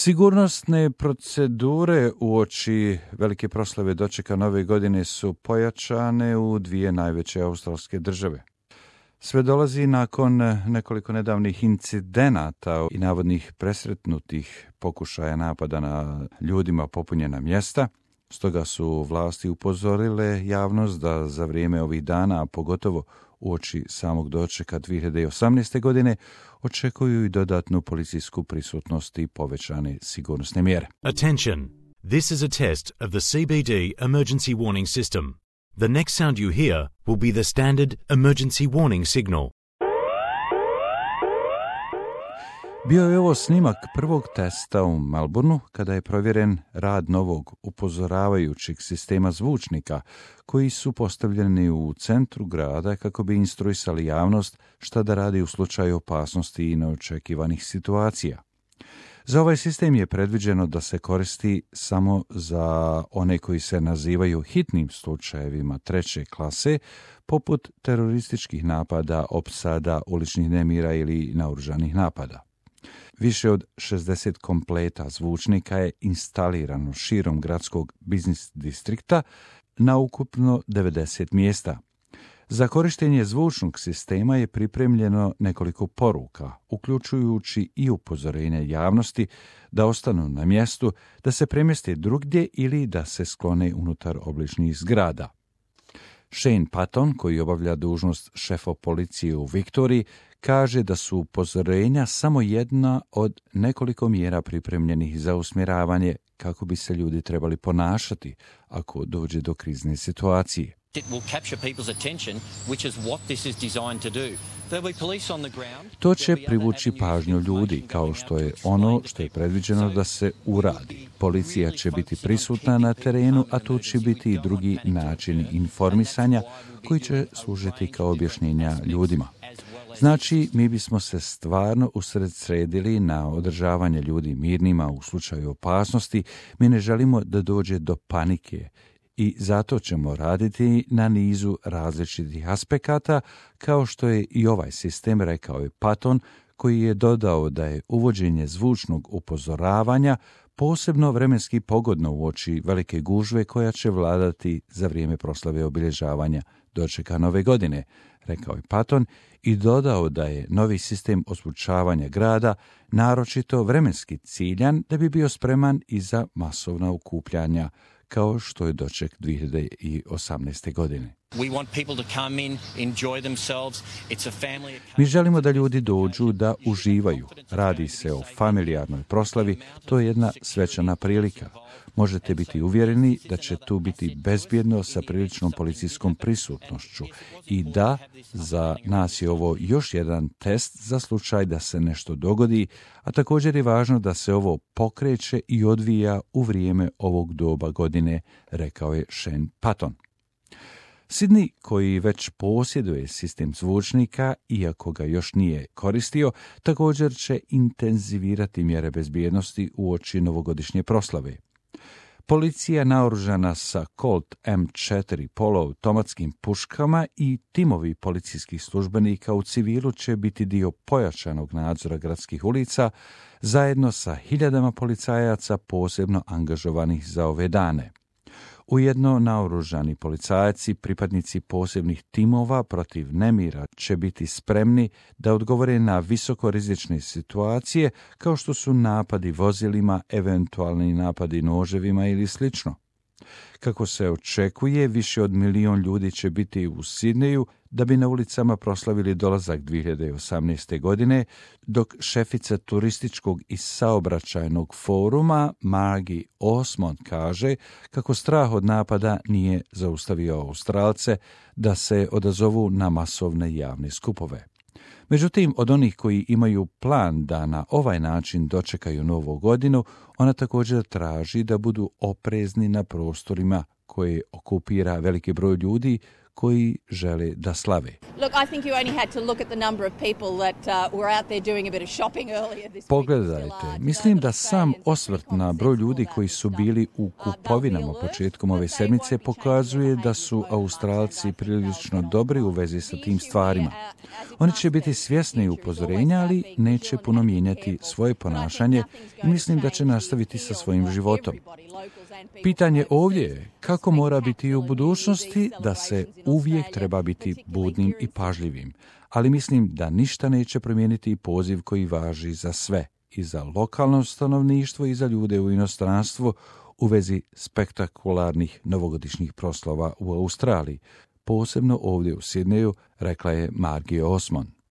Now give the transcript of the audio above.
Sigurnosne procedure uoči velike proslave dočeka nove godine su pojačane u dvije najveće australske države. Sve dolazi nakon nekoliko nedavnih incidenata i navodnih presretnutih pokušaja napada na ljudima popunjena mjesta. Stoga su vlasti upozorile javnost da za vrijeme ovih dana, a pogotovo uoči samog dočeka 2018. godine, očekuju i dodatnu policijsku prisutnost i povećane sigurnosne mjere. Attention! This is a test of the CBD emergency warning system. The next sound you hear will be the standard emergency warning signal. Bio je ovo snimak prvog testa u Melbourneu kada je provjeren rad novog upozoravajućeg sistema zvučnika koji su postavljeni u centru grada kako bi instruisali javnost šta da radi u slučaju opasnosti i neočekivanih situacija. Za ovaj sistem je predviđeno da se koristi samo za one koji se nazivaju hitnim slučajevima treće klase, poput terorističkih napada, opsada, uličnih nemira ili naoružanih napada. Više od 60 kompleta zvučnika je instalirano širom gradskog biznis distrikta na ukupno 90 mjesta. Za korištenje zvučnog sistema je pripremljeno nekoliko poruka, uključujući i upozorenje javnosti da ostanu na mjestu, da se premjeste drugdje ili da se sklone unutar obližnjih zgrada. Shane Patton, koji obavlja dužnost šefa policije u Viktoriji, kaže da su upozorenja samo jedna od nekoliko mjera pripremljenih za usmjeravanje kako bi se ljudi trebali ponašati ako dođe do krizne situacije. To će privući pažnju ljudi, kao što je ono što je predviđeno da se uradi. Policija će biti prisutna na terenu, a tu će biti i drugi načini informisanja koji će služiti kao objašnjenja ljudima. Znači, mi bismo se stvarno usredsredili na održavanje ljudi mirnima u slučaju opasnosti. Mi ne želimo da dođe do panike i zato ćemo raditi na nizu različitih aspekata, kao što je i ovaj sistem, rekao je Patton, koji je dodao da je uvođenje zvučnog upozoravanja posebno vremenski pogodno uoči velike gužve koja će vladati za vrijeme proslave obilježavanja dočeka nove godine, rekao je Patton, i dodao da je novi sistem osvučavanja grada naročito vremenski ciljan da bi bio spreman i za masovna okupljanja, kao što je doček 2018. godine. Mi želimo da ljudi dođu da uživaju. Radi se o familijarnoj proslavi, to je jedna svečana prilika. Možete biti uvjereni da će tu biti bezbjedno sa priličnom policijskom prisutnošću i da za nas je ovo još jedan test za slučaj da se nešto dogodi, a također je važno da se ovo pokreće i odvija u vrijeme ovog doba godine, rekao je Shane Patton. Sydney, koji već posjeduje sistem zvučnika, iako ga još nije koristio, također će intenzivirati mjere bezbjednosti uoči novogodišnje proslave. Policija naoružana sa Colt M4 poluautomatskim puškama i timovi policijskih službenika u civilu će biti dio pojačanog nadzora gradskih ulica, zajedno sa hiljadama policajaca posebno angažovanih za ove dane. Ujedno naoružani policajci, pripadnici posebnih timova protiv nemira, će biti spremni da odgovore na visokorizične situacije kao što su napadi vozilima, eventualni napadi noževima ili slično. Kako se očekuje, više od 1 milion ljudi će biti u Sidneju da bi na ulicama proslavili dolazak 2018. godine, dok šefica turističkog i saobraćajnog foruma Margie Osmond kaže kako strah od napada nije zaustavio Australce da se odazovu na masovne javne skupove. Međutim, od onih koji imaju plan da na ovaj način dočekaju novu godinu, ona također traži da budu oprezni na prostorima koje okupira veliki broj ljudi koji žele da slave. Pogledajte, mislim da sam osvrt na broj ljudi koji su bili u kupovinama početkom ove sedmice pokazuje da su Australci prilično dobri u vezi sa tim stvarima. Oni će biti svjesni upozorenja, ali neće puno mijenjati svoje ponašanje i mislim da će nastaviti sa svojim životom. Pitanje ovdje je kako mora biti i u budućnosti, da se uvijek treba biti budnim i pažljivim, ali mislim da ništa neće promijeniti poziv koji važi za sve, i za lokalno stanovništvo i za ljude u inostranstvu u vezi spektakularnih novogodišnjih proslava u Australiji, posebno ovdje u Sidneju, rekla je Margie Osmond.